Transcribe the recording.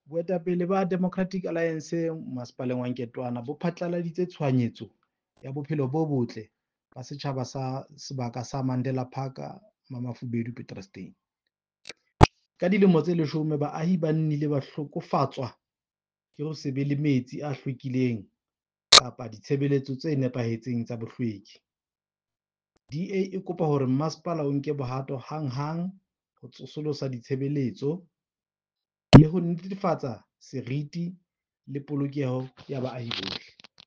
Boetapele ba Democratic Alliance Masepaleng wa Nketoana bo phatlaladitse tshohanyetso ya bophelo bo botle ba setjhaba sa sebaka sa Mandela Park Mamafubedu Petrus Steyn. Ka dilemo tse leshome baahi ba nnile ba hlokofatswa ke ho se be le metsi a hlwekileng kapa ditshebeletso tse nepahetseng tsa bohlweki. DA e kopa hore masepala o nke bohato hanghang ho tsosolosa ditshebeletso le ho netefatsa seriti le polokeho ya baahi bohle.